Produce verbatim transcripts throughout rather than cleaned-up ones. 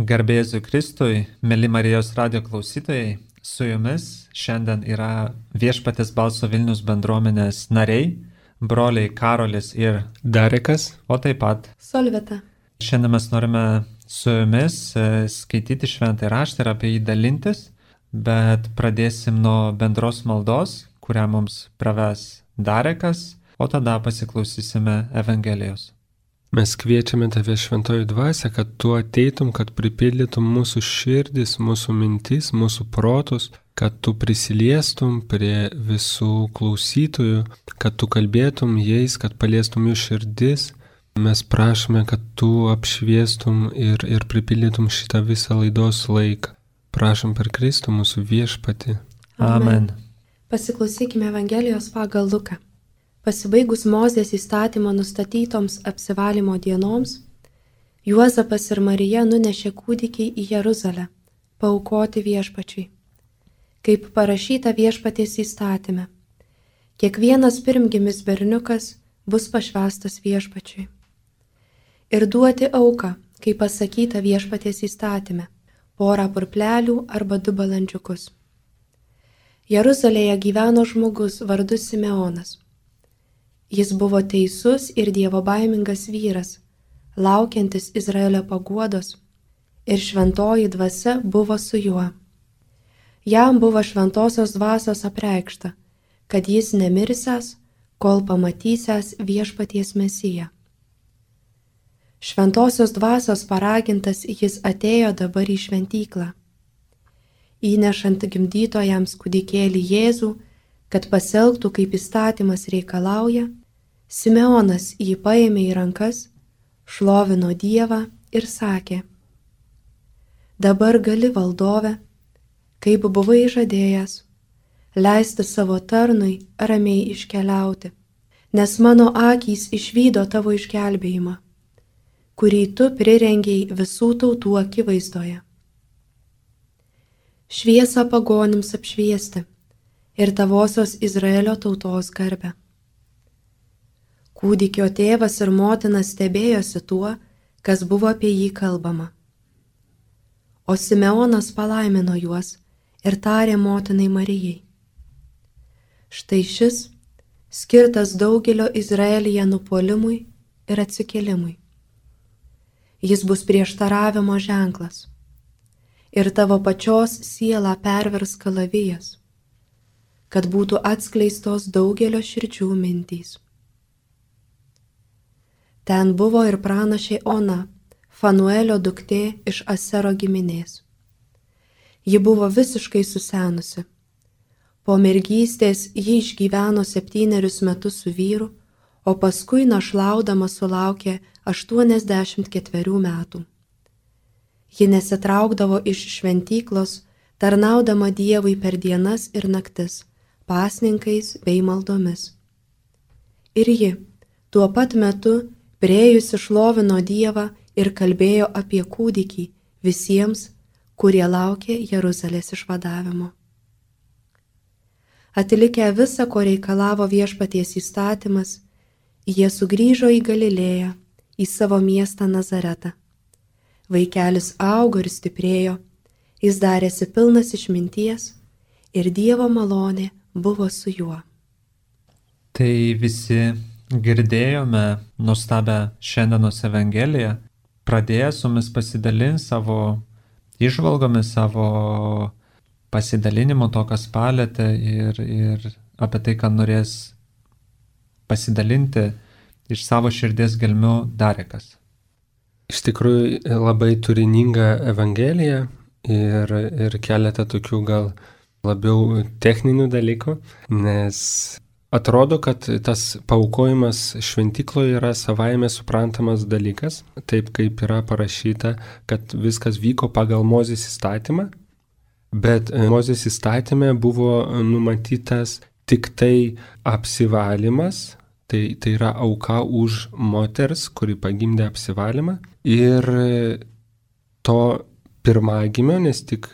Garbėsiu Kristui, mėly Marijos radijo klausytojai, su jumis šiandien yra Viešpaties balso Vilnius bendruomenės nariai, broliai Karolis ir Darekas, o taip pat Solvita. Šiandien mes norime su jumis skaityti šventąjį raštą ir apie jį dalintis, bet pradėsim nuo bendros maldos, kurią mums praves Darekas, o tada pasiklausysime Evangelijos. mes kviečiame tave šventoji dvasia, kad tu ateitum, kad pripildytum mūsų širdis, mūsų mintis, mūsų protus, kad tu prisiliestum prie visų klausytojų, kad tu kalbėtum jais, kad paliestum jų širdis. Mes prašome, kad tu apšviestum ir, ir pripildytum šitą visą laidos laiką. Prašom per Kristų mūsų viešpatį. Amen. Pasiklausykime Evangelijos pagal Luką. Pasibaigus Mozės įstatymo nustatytoms apsivalymo dienoms, Juozapas ir Marija nunešė kūdikį į Jeruzalę, paaukoti viešpačiui. Kaip parašyta viešpaties įstatyme, kiekvienas pirmgimis berniukas bus pašvęstas viešpačiui. Ir duoti auką, kaip pasakyta viešpaties įstatyme, porą purplelių arba du balandžiukus. Jeruzalėje gyveno žmogus vardu Simeonas. Jis buvo teisus ir dievobaimingas vyras, laukiantis Izraelio paguodos, ir šventoji dvasia buvo su juo. Jam buvo šventosios dvasios apreikšta, kad jis nemirsęs, kol pamatysęs viešpaties Mesiją. Šventosios dvasios paragintas jis atėjo dabar į šventyklą. Įnešant gimdytojams kūdikėlį Jėzų, kad pasielgtų kaip įstatymas reikalauja, Simeonas jį paėmė į rankas, šlovino Dievą ir sakė: Dabar gali, valdove, kaip buvai žadėjęs, leisti savo tarnui ramiai iškeliauti, nes mano akys išvydo tavo išgelbėjimą, kurį tu prirengei visų tautų akivaizdoje. Šviesą pagonims apšviesti ir tavosios Izraelio tautos garbę. Kūdikio tėvas ir motina stebėjosi tuo, kas buvo apie jį kalbama. O Simeonas palaimino juos ir tarė motinai Marijai: Štai šis skirtas daugelio Izraelyje nupuolimui ir atsikėlimui. Jis bus prieštaravimo ženklas ir tavo pačios sielą pervers kalavijas, kad būtų atskleistos daugelio širdžių mintys. Ten buvo ir pranašė Ona, Fanuelio duktė iš Asero giminės. Ji buvo visiškai susenusi. Po mergystės ji išgyveno septynerius metus su vyru, o paskui našlaudama sulaukė aštuoniasdešimt ketverių metų. Ji nesitraukdavo iš šventyklos, tarnaudama Dievui per dienas ir naktis, pasninkais bei maldomis. Ir ji tuo pat metu priėjusi šlovino Dievą ir kalbėjo apie kūdikį visiems, kurie laukė Jeruzalės išvadavimo. Atlikę visą, ko reikalavo viešpaties įstatymas, jie sugrįžo į Galilėją, į savo miestą Nazaretą. Vaikelis augo ir stiprėjo, jis darėsi pilnas išminties ir Dievo malonė buvo su juo. Tai visi girdėjome nuostabią šiandienos Evangeliją, pradėję su mumis pasidalinti savo įžvalgomis, savo pasidalinimu to, kas palėtė ir, ir apie tai, ką norės pasidalinti iš savo širdies gelmių Darekas. Iš tikrųjų labai turininga Evangelija ir, ir keletą tokių gal labiau techninių dalykų, nes atrodo, kad tas paaukojimas šventykloje yra savaime suprantamas dalykas, taip kaip yra parašyta, kad viskas vyko pagal Mozės įstatymą, bet Mozės įstatyme buvo numatytas tik tai apsivalymas, tai, tai yra auka už moters, kuri pagimdė apsivalymą, ir to pirmagimio, nes tik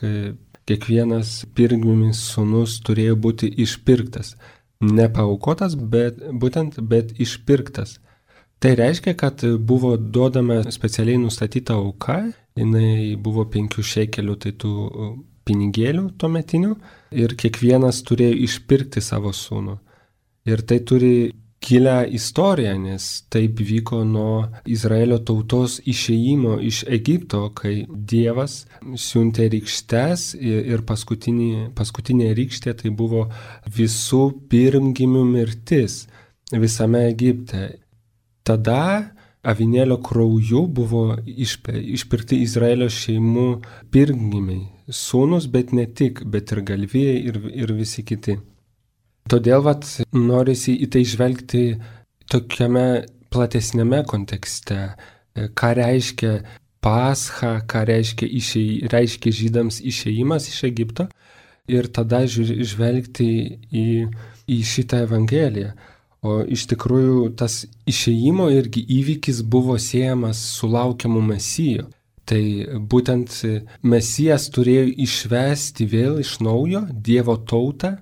kiekvienas pirmgimis sūnus turėjo būti išpirktas. Ne paaukotas, bet būtent, bet išpirktas. Tai reiškia, kad buvo duodama specialiai nustatyta auka, jinai buvo penkių šekelių, tai tų pinigėlių tuometinių, ir kiekvienas turėjo išpirkti savo sūnų. Ir tai turi gilią istoriją, nes taip vyko nuo Izraelio tautos išėjimo iš Egipto, kai Dievas siuntė rykštes ir paskutinė, paskutinė rykštė tai buvo visų pirmgimių mirtis visame Egipte. Tada avinėlio krauju buvo išpirkti Izraelio šeimų pirmgimiai, sūnus, bet ne tik, bet ir galvijai ir, ir visi kiti. Todėl vat, norisi į tai žvelgti tokiame platesnėme kontekste, ką reiškia pascha, ką reiškia, išėj, reiškia žydams išėjimas iš Egipto ir tada žvelgti į, į šitą evangeliją. O iš tikrųjų tas išėjimo irgi įvykis buvo siejamas su laukiamu Mesiju. Tai būtent Mesijas turėjo išvesti vėl iš naujo Dievo tautą.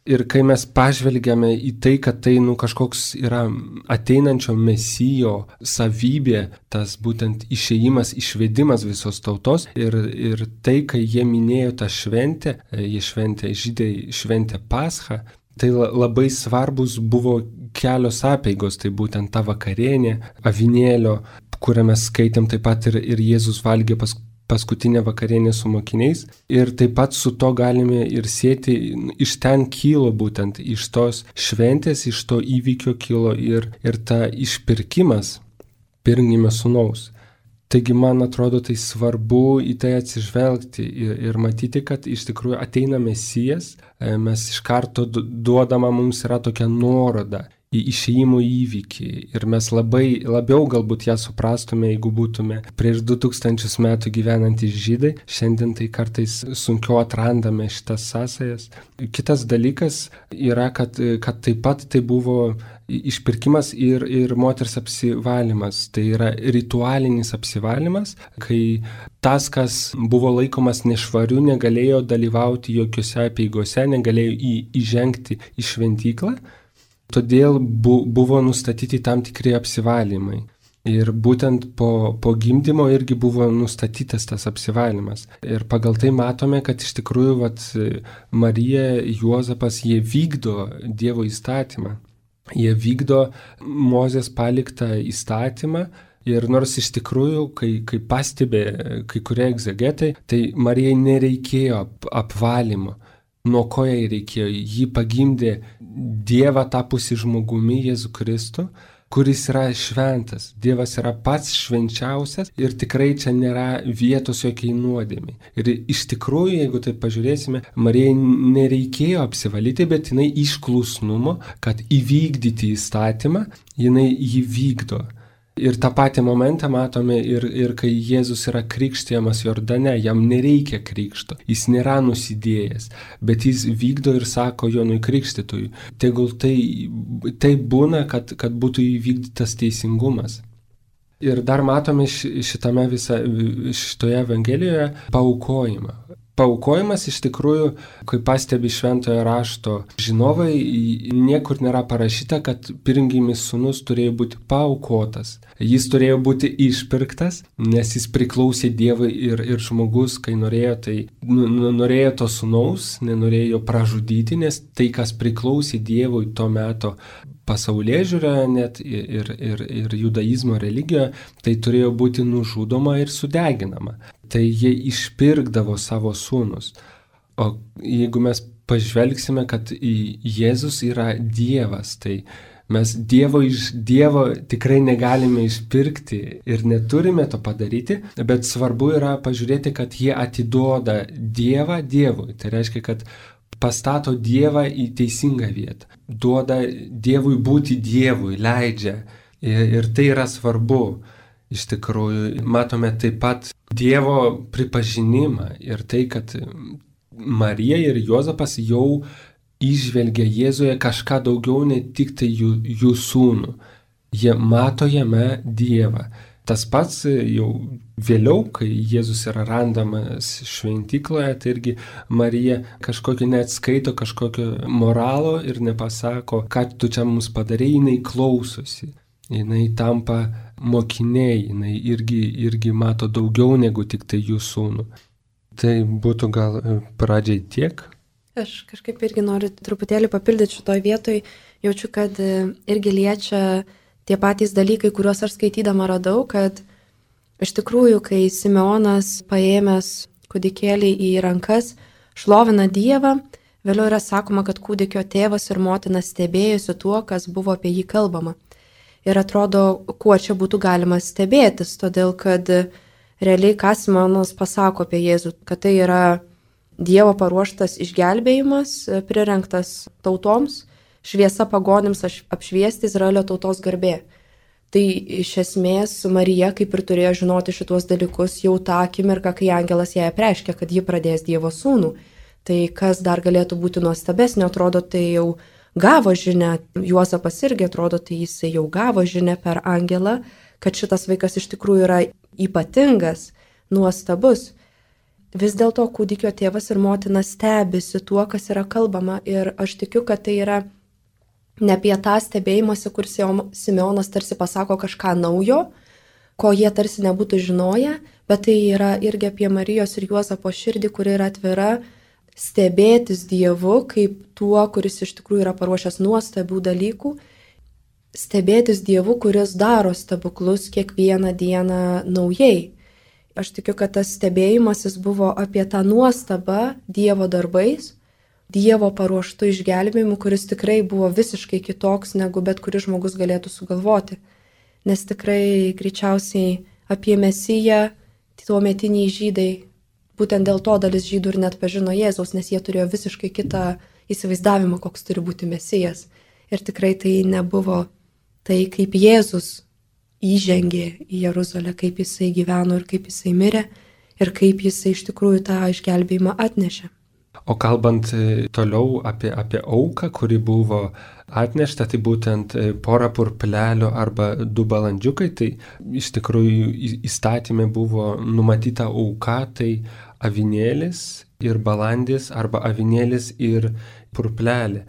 Ir kai mes pažvelgiame į tai, kad tai nu, kažkoks yra ateinančio Mesijo savybė, tas būtent išėjimas, išvedimas visos tautos, ir, ir tai, kai jie minėjo tą šventę, jie šventė, žydai šventė Paschą, tai labai svarbus buvo kelios apeigos, tai būtent ta vakarienė, avinėlio, kurią mes skaitėm taip pat ir, ir Jėzus valgė pas paskutinę vakarienę su mokiniais. Ir taip pat su to galime ir sėti, iš ten kilo būtent, iš tos šventės, iš to įvykio kilo ir, ir ta išpirkimas pirmgimio sūnaus. Taigi man atrodo tai svarbu į tai atsižvelgti ir, ir matyti, kad iš tikrųjų ateina Mesijas, mes iš karto duodama mums yra tokia nuoroda į išėjimo įvykį ir mes labai labiau galbūt ją suprastume, jeigu būtume prieš du tūkstančius metų gyvenantys žydai. Šiandien tai kartais sunkiau atrandame šitas sąsajas. Kitas dalykas yra, kad, kad taip pat tai buvo išpirkimas ir, ir moters apsivalymas. Tai yra ritualinis apsivalymas, kai tas, kas buvo laikomas nešvariu, negalėjo dalyvauti jokiose apeigose, negalėjo į, įžengti į šventyklą. Todėl bu, buvo nustatyti tam tikri apsivalymai. Ir būtent po, po gimdymo irgi buvo nustatytas tas apsivalymas. Ir pagal tai matome, kad iš tikrųjų vat, Marija, Juozapas, jie vykdo Dievo įstatymą. Jie vykdo Mozės paliktą įstatymą. Ir nors iš tikrųjų, kai, kai pastebė kai kurie egzegetai, tai Marijai nereikėjo ap, apvalymo. Nuo ko jai reikėjo? Ji pagimdė Dievą tapusi žmogumi, Jėzų Kristų, kuris yra šventas. Dievas yra pats švenčiausias ir tikrai čia nėra vietos jokiai nuodėmei. Ir iš tikrųjų, jeigu tai pažiūrėsime, Marijai nereikėjo apsivalyti, bet jinai iš klusnumo, kad įvykdyti įstatymą, jinai jį vykdo. Ir tą patį momentą matome ir, ir kai Jėzus yra krikštijamas Jordane, jam nereikia krikšto, jis nėra nusidėjęs, bet jis vykdo ir sako Jonui Krikštytojui, tegul tai, tai būna, kad, kad būtų įvykdytas teisingumas. Ir dar matome šitame visa, šitoje Evangelijoje paaukojimą. Paaukojimas iš tikrųjų, kai pastebi šventojo rašto žinovai, niekur nėra parašyta, kad pirmgimis sūnus turėjo būti paaukotas. Jis turėjo būti išpirktas, nes jis priklausė Dievui ir, ir žmogus, kai norėjo, tai nu, norėjo to sūnaus, nenorėjo pražudyti, nes tai, kas priklausė Dievui to meto pasaulėžiūroje net ir, ir, ir judaizmo religijoje, tai turėjo būti nužudoma ir sudeginama. Tai jie išpirkdavo savo sūnus. O jeigu mes pažvelgsime, kad Jėzus yra Dievas, tai mes Dievo iš Dievo tikrai negalime išpirkti ir neturime to padaryti, bet svarbu yra pažiūrėti, kad jie atiduoda Dievą Dievui. Tai reiškia, kad pastato Dievą į teisingą vietą. Duoda Dievui būti Dievui, leidžia. Ir, ir tai yra svarbu. Iš tikrųjų, matome taip pat Dievo pripažinimą ir tai, kad Marija ir Juozapas jau įžvelgia Jėzuje kažką daugiau, ne tik tai jų, jų sūnų. Jie mato jame Dievą. Tas pats jau vėliau, kai Jėzus yra randamas šventykloje, tai irgi Marija kažkokio neatskaito, kažkokio moralo ir nepasako, ką tu čia mums padarei, jinai klausosi. jinai tampa mokiniai, jinai irgi, irgi mato daugiau negu tik tai jų sūnų. Tai būtų gal pradžiai tiek. Aš kažkaip irgi noriu truputėlį papildyti šitoj vietoj, jaučiu, kad irgi liečia tie patys dalykai, kuriuos aš skaitydama radau, kad iš tikrųjų, kai Simeonas paėmęs kūdikėlį į rankas, šlovina Dievą, vėliau yra sakoma, kad kūdikio tėvas ir motina stebėjosi tuo, kas buvo apie jį kalbama. Ir atrodo, kuo čia būtų galima stebėtis, todėl kad realiai ką Simeonas pasako apie Jėzų, kad tai yra Dievo paruoštas išgelbėjimas, prirengtas tautoms, šviesa pagonims apšviesti Izraelio tautos garbė. Tai iš esmės Marija kaip ir turėjo žinoti šituos dalykus jau tą akimirką, kai angelas jai apreiškė, kad ji pradės Dievo sūnų. Tai kas dar galėtų būti nuostabesnio, atrodo, tai jau gavo žinią, Juozapas irgi atrodo, tai jisai jau gavo žinią per angelą, kad šitas vaikas iš tikrųjų yra ypatingas, nuostabus. Vis dėlto kūdikio tėvas ir motina stebisi tuo, kas yra kalbama, ir aš tikiu, kad tai yra ne apie tą stebėjimąsi, kur Simeonas tarsi pasako kažką naujo, ko jie tarsi nebūtų žinoję, bet tai yra irgi apie Marijos ir Juozapo širdį, kuri yra atvira stebėtis Dievu kaip tuo, kuris iš tikrųjų yra paruošęs nuostabių dalykų, stebėtis Dievu, kuris daro stebuklus kiekvieną dieną naujai. Aš tikiu, kad tas stebėjimasis buvo apie tą nuostabą Dievo darbais, Dievo paruoštų išgelbėjimu, kuris tikrai buvo visiškai kitoks, negu bet kuris žmogus galėtų sugalvoti. Nes tikrai greičiausiai apie Mesiją tuometiniai žydai, būtent dėl to dalis žydų ir net pažino Jėzaus, nes jie turėjo visiškai kitą įsivaizdavimą, koks turi būti Mesijas. Ir tikrai tai nebuvo tai, kaip Jėzus įžengė į Jeruzalę, kaip jisai gyveno ir kaip jisai mirė ir kaip jisai iš tikrųjų tą išgelbėjimą atnešė. O kalbant toliau apie, apie auką, kuri buvo atnešta, tai būtent pora purplelių arba du balandžiukai, tai iš tikrųjų įstatymė buvo numatyta auka, tai avinėlis ir balandis arba avinėlis ir purplelė.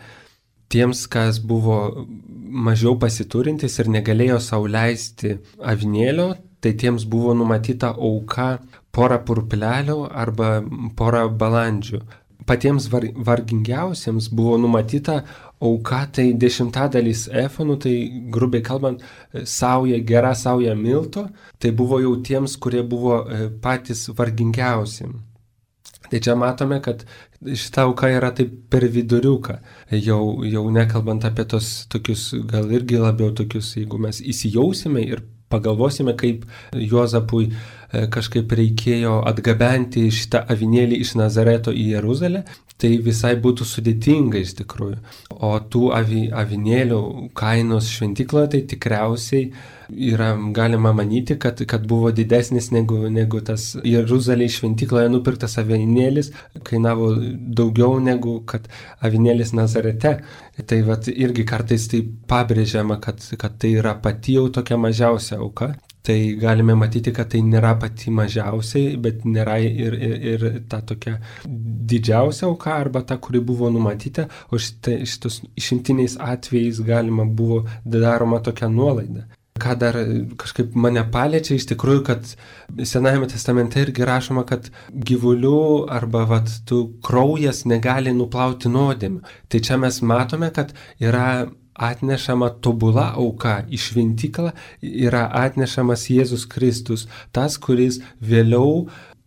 Tiems, kas buvo mažiau pasiturintis ir negalėjo sau leisti avinėlio, tai tiems buvo numatyta auka pora purplelių arba pora balandžių. Patiems var, vargingiausiems buvo numatyta auka, tai dešimtadalis efonų, tai grubiai kalbant, sauja, gera sauja milto, tai buvo jau tiems, kurie buvo patys vargingiausi. Tai čia matome, kad šita auka yra taip per viduriuką, jau, jau nekalbant apie tos tokius, gal irgi labiau tokius, jeigu mes įsijausime ir pagalvosime, kaip Juozapui kažkaip reikėjo atgabenti šitą avinėlį iš Nazareto į Jeruzalę, tai visai būtų sudėtinga iš tikrųjų. O tų avi, avinėlių kainos šventykloje tai tikriausiai yra galima manyti, kad, kad buvo didesnis negu, negu tas Jeruzalėje šventykloje nupirktas avinėlis, kainavo daugiau negu kad avinėlis Nazarete. Tai vat irgi kartais tai pabrėžiama, kad, kad tai yra pati jau tokia mažiausia auka. Tai galime matyti, kad tai nėra pati mažiausiai, bet nėra ir, ir, ir ta tokia didžiausia auka arba ta, kuri buvo numatyta, o šitą, šitos išimtiniais atvejais galima buvo daroma tokia nuolaida. Ką dar kažkaip mane paliečia, iš tikrųjų, kad Senajame testamente irgi rašoma, kad gyvulių arba vat, tų kraujas negali nuplauti nuodėmių. Tai čia mes matome, kad yra atnešama tobula auka į šventyklą, yra atnešamas Jėzus Kristus, tas, kuris vėliau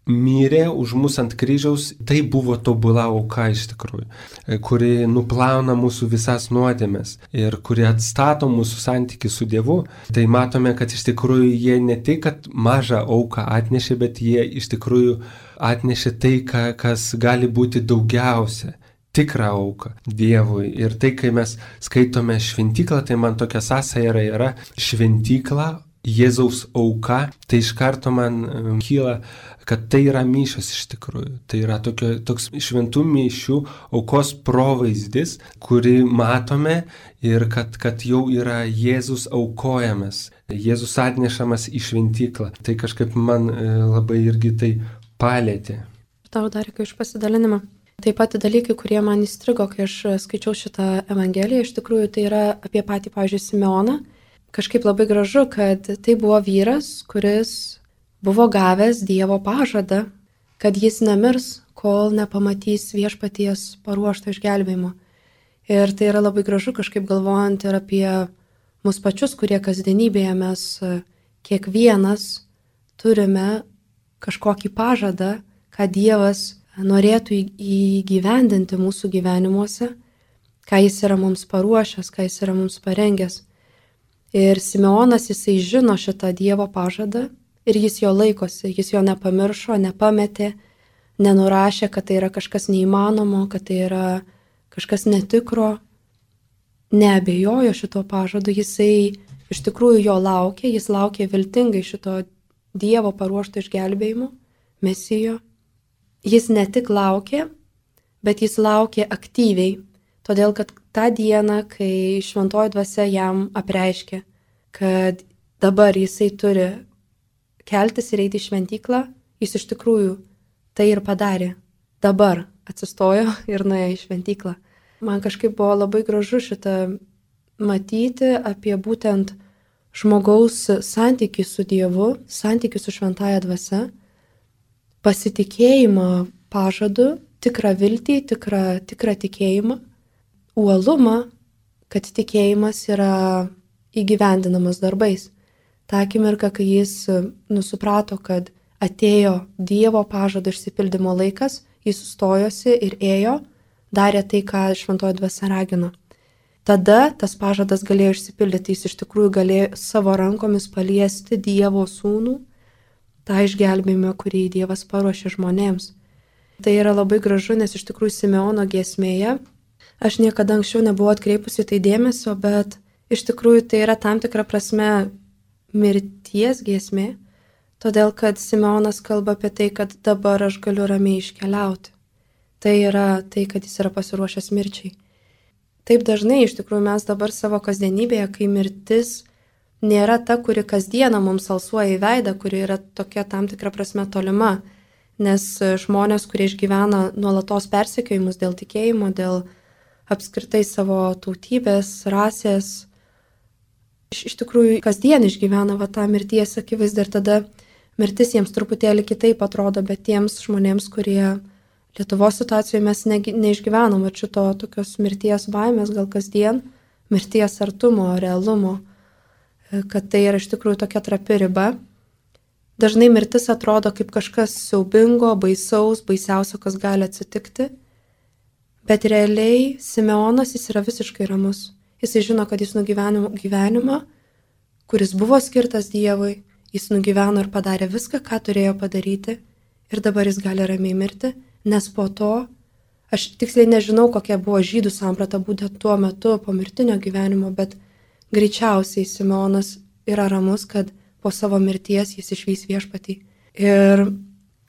mirė už mus ant kryžiaus, tai buvo tobula auka iš tikrųjų, kuri nuplauna mūsų visas nuodėmes ir kuri atstato mūsų santykį su Dievu. Tai matome, kad iš tikrųjų jie ne tik, kad mažą auką atnešė, bet jie iš tikrųjų atnešė tai, kas gali būti daugiausia. Tikrą auką Dievui. Ir tai, kai mes skaitome šventyklą, tai man tokia sąsaja yra, yra šventykla, Jėzaus auka, tai iš karto man kyla, kad tai yra mišios iš tikrųjų. Tai yra tokio, toks šventų mišių aukos provaizdis, kurį matome ir kad, kad jau yra Jėzus aukojamas, Jėzus atnešamas į šventyklą. Tai kažkaip man labai irgi tai palėtė. Tau dar iki iš pasidalinimą. Taip pat dalykai, kurie man įstrigo, kai aš skaičiau šitą evangeliją, iš tikrųjų tai yra apie patį, pavyzdžiui, Simeoną. kažkaip labai gražu, kad tai buvo vyras, kuris buvo gavęs Dievo pažadą, kad jis nemirs, kol nepamatys viešpaties paruošto išgelbėjimo. Ir tai yra labai gražu kažkaip galvojant ir apie mus pačius, kurie kasdienybėje mes kiekvienas turime kažkokį pažadą, ką Dievas norėtų įgyvendinti mūsų gyvenimuose, ką jis yra mums paruošęs, ką jis yra mums parengęs. Ir Simeonas, jisai žino šitą Dievo pažadą ir jis jo laikosi, jis jo nepamiršo, nepametė, nenurašė, kad tai yra kažkas neįmanomo, kad tai yra kažkas netikro, neabejojo šito pažadu, jisai iš tikrųjų jo laukė, jis laukė viltingai šito Dievo paruošto išgelbėjimo, Mesijo. Jis ne tik laukė, bet jis laukė aktyviai, todėl kad tą dieną, kai šventoji dvasia jam apreiškė, kad dabar jisai turi keltis ir eiti į šventyklą, jis iš tikrųjų tai ir padarė. Dabar atsistojo ir nuėjo į šventyklą. Man kažkaip buvo labai gražu šitą matyti apie būtent žmogaus santykį su Dievu, santykį su šventąja dvasia, pasitikėjimą pažadu, tikrą viltį, tikrą, tikrą tikėjimą, uolumą, kad tikėjimas yra įgyvendinamas darbais. Ta akimirka, kai jis nusuprato, kad atėjo Dievo pažado išsipildymo laikas, jis sustojosi ir ėjo, darė tai, ką šventoji dvasia ragino. Tada tas pažadas galėjo išsipildyti, jis iš tikrųjų galėjo savo rankomis paliesti Dievo sūnų, tą išgelbėjimą, kurį Dievas paruošė žmonėms. Tai yra labai gražu, nes iš tikrųjų Simeono giesmėje, aš niekada anksčiau nebuvau atkreipusi tai dėmesio, bet iš tikrųjų tai yra tam tikra prasme mirties giesmė, todėl kad Simeonas kalba apie tai, kad dabar aš galiu ramiai iškeliauti. Tai yra tai, kad jis yra pasiruošęs mirčiai. Taip dažnai iš tikrųjų mes dabar savo kasdienybėje, kai mirtis nėra ta, kuri kasdieną mums alsuoja į veidą, kuri yra tokia tam tikra prasme tolima, nes žmonės, kurie išgyvena nuolatos persekiojimus dėl tikėjimo, dėl apskritai savo tautybės, rasės, iš, iš tikrųjų kasdien išgyvena va tą mirties akivaizdą ir tada mirtis jiems truputėlį kitaip atrodo, bet tiems žmonėms, kurie Lietuvos situacijoje mes ne, neišgyvenom šito tokios mirties baimės, gal kasdien, mirties artumo, realumo, kad tai yra iš tikrųjų tokia trapi riba. Dažnai mirtis atrodo kaip kažkas siaubingo, baisaus, baisiausio, kas gali atsitikti, bet realiai Simeonas jis yra visiškai ramus. Jisai žino, kad jis nugyveno gyvenimą, kuris buvo skirtas Dievui, jis nugyveno ir padarė viską, ką turėjo padaryti ir dabar jis gali ramiai mirti. Nes po to, aš tiksliai nežinau, kokia buvo žydų samprata būtent tuo metu po mirtinio gyvenimo, bet greičiausiai Simeonas yra ramus, kad po savo mirties jis išvys viešpatį. Ir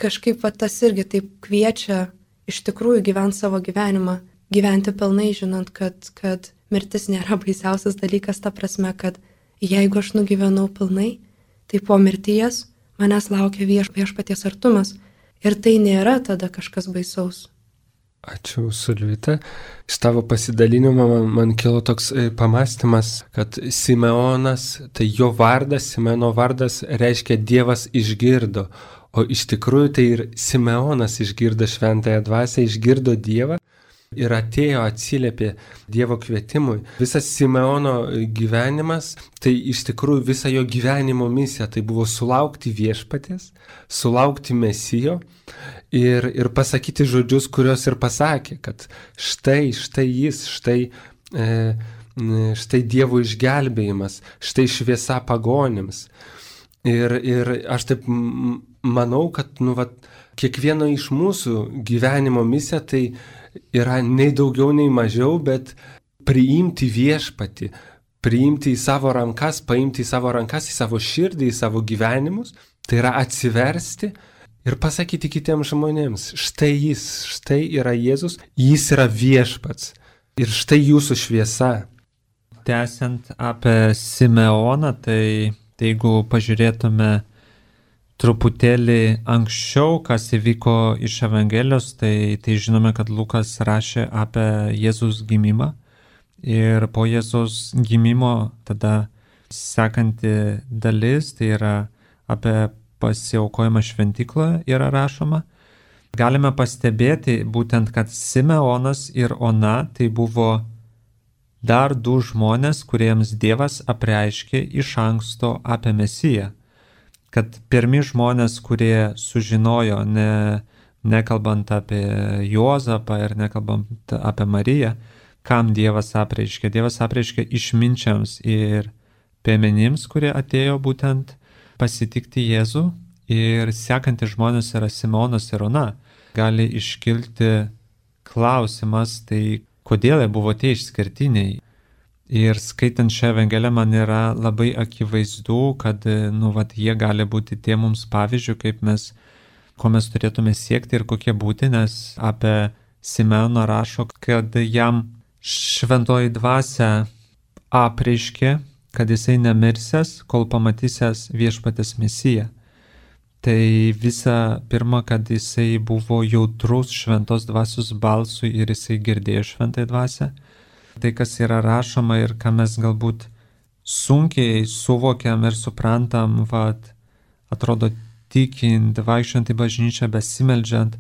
kažkaip va, tas irgi taip kviečia iš tikrųjų gyventi savo gyvenimą, gyventi pilnai, žinant, kad, kad mirtis nėra baisiausias dalykas, ta prasme, kad jeigu aš nugyvenau pilnai, tai po mirties manęs laukia vieš, viešpaties artumas. Ir tai nėra tada kažkas baisaus. Ačiū, Sulvita. Iš tavo pasidalinimo man, man kilo toks pamastymas, kad Simeonas, tai jo vardas, Simeono vardas reiškia Dievas išgirdo, o iš tikrųjų tai ir Simeonas išgirdo šventąją dvasią, išgirdo Dievą ir atėjo, atsiliepė Dievo kvietimui. Visas Simeono gyvenimas, tai iš tikrųjų visa jo gyvenimo misija, tai buvo sulaukti viešpaties, sulaukti Mesijo ir, ir pasakyti žodžius, kuriuos ir pasakė, kad štai, štai jis, štai, e, štai Dievo išgelbėjimas, štai šviesa pagonims. Ir, ir aš taip manau, kad nu, vat, kiekvieno iš mūsų gyvenimo misija tai yra nei daugiau, nei mažiau, bet priimti viešpatį, priimti į savo rankas, paimti į savo rankas, į savo širdį, į savo gyvenimus, tai yra atsiversti ir pasakyti kitiems žmonėms, štai jis, štai yra Jėzus, jis yra viešpats ir štai jūsų šviesa. Tęsiant apie Simeoną, tai, tai jeigu pažiūrėtume truputėlį anksčiau, kas įvyko iš Evangelijos, tai, tai žinome, kad Lukas rašė apie Jėzus gimimą ir po Jėzus gimimo tada Sekanti dalis, tai yra apie pasiaukojimą šventykloje yra rašoma. Galime pastebėti būtent, kad Simeonas ir Ona tai buvo dar du žmonės, kuriems Dievas apreiškė iš anksto apie Mesiją. Kad pirmi žmonės, kurie sužinojo, ne, nekalbant apie Juozapą ir nekalbant apie Mariją, kam Dievas apreiškė. Dievas apreiškė išminčiams ir piemenims, kurie atėjo būtent pasitikti Jėzų, ir sekantys žmonės yra Simeonas ir Ona. Gali iškilti klausimas, tai kodėl jie buvo tie išskirtiniai. Ir skaitant šią Evangeliją man yra labai akivaizdu, kad nu, vat, jie gali būti tie mums pavyzdžių, kaip mes, ko mes turėtume siekti ir kokie būti, nes apie Simeoną rašo, kad jam šventoji dvasia apreiškė, kad jisai nemirsęs, kol pamatysęs viešpatės Mesiją. Tai visa pirma, kad jisai buvo jautrus šventos dvasios balsui ir jisai girdėjo šventąją dvasią. Tai, kas yra rašoma ir ką mes galbūt sunkiai suvokiam ir suprantam, vat, atrodo tikint, vaikščiant į bažnyčią, besimeldžiant,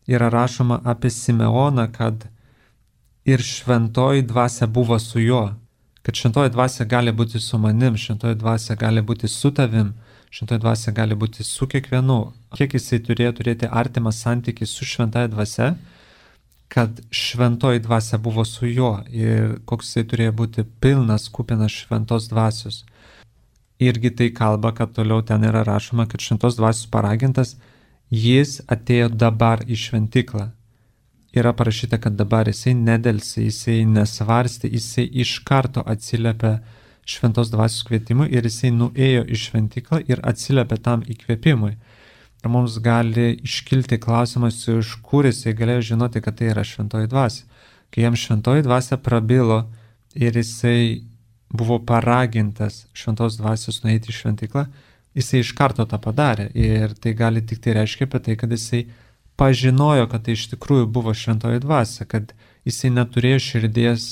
yra rašoma apie Simeoną, kad ir šventoji dvasia buvo su juo. Kad šventoji dvasia gali būti su manim, šventoji dvasia gali būti su tavim, šventoji dvasia gali būti su kiekvienu. Kiek jisai turėjo turėti artimą santykį su šventąja dvasia, kad šventoji dvasia buvo su juo ir koks jisai turėjo būti pilnas, kupinas šventos dvasios. Irgi tai kalba, kad toliau ten yra rašoma, kad šventos dvasios paragintas, jis atėjo dabar į šventyklą. Yra parašyta, kad dabar jisai nedelsė, jisai nesvarstė, jisai iš karto atsiliepė šventos dvasios kvietimui ir jisai nuėjo į šventyklą ir atsiliepė tam įkvėpimui. Ir mums gali iškilti klausimas, iš kur jisai galėjo žinoti, kad tai yra šventoji dvasia. Kai jam šventoji dvasia prabilo ir jisai buvo paragintas šventos dvasios nueiti į šventyklą, jisai iš karto tą padarė. Ir tai gali tik tai reiškia apie tai, kad jisai pažinojo, kad tai iš tikrųjų buvo šventoji dvasia, kad jisai neturėjo širdies